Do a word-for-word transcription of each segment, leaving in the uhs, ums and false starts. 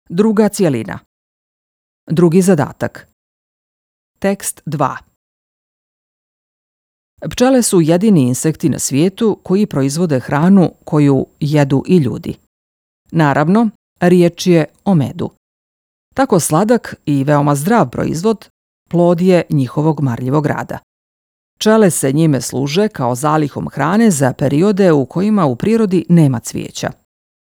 Druga cijelina. Drugi zadatak. Tekst dva. Pčele su jedini insekti na svijetu koji proizvode hranu koju jedu i ljudi. Naravno, riječ je o medu. Tako sladak i veoma zdrav proizvod plod je njihovog marljivog rada. Pčele se njime služe kao zalihom hrane za periode u kojima u prirodi nema cvijeća.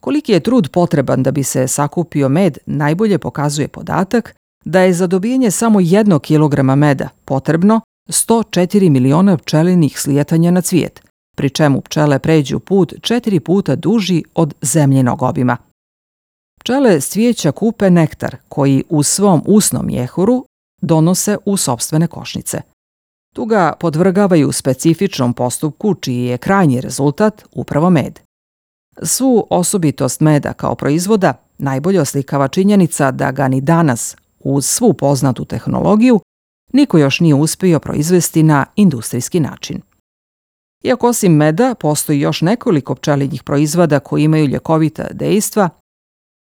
Koliki je trud potreban da bi se sakupio med najbolje pokazuje podatak da je za dobijanje samo jednog kilograma meda potrebno sto četiri miliona pčelinih slijetanja na cvijet, pri čemu pčele pređu put četiri puta duži od zemljinog obima. Pčele s cvijeća kupe nektar koji u svom usnom mjehuru donose u sopstvene košnice. Tu ga podvrgavaju specifičnom postupku čiji je krajnji rezultat upravo med. Svu osobitost meda kao proizvoda najbolje oslikava činjenica da ga ni danas, uz svu poznatu tehnologiju, niko još nije uspio proizvesti na industrijski način. Iako osim meda postoji još nekoliko pčelinjih proizvoda koji imaju ljekovita dejstva,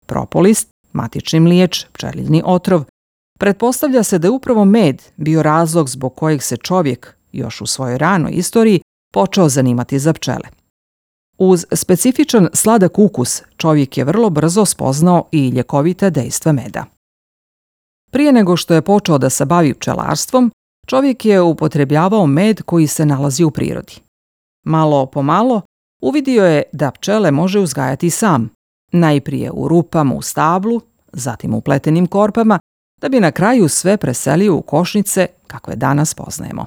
propolis, matični mliječ, pčelinji otrov, pretpostavlja se da je upravo med bio razlog zbog kojeg se čovjek, još u svojoj ranoj istoriji, počeo zanimati za pčele. Uz specifičan sladak ukus, čovjek je vrlo brzo spoznao i ljekovita dejstva meda. Prije nego što je počeo da se bavi pčelarstvom, čovjek je upotrebljavao med koji se nalazi u prirodi. Malo po malo uvidio je da pčele može uzgajati sam, najprije u rupama u stablu, zatim u pletenim korpama, da bi na kraju sve preselio u košnice kakve danas poznajemo.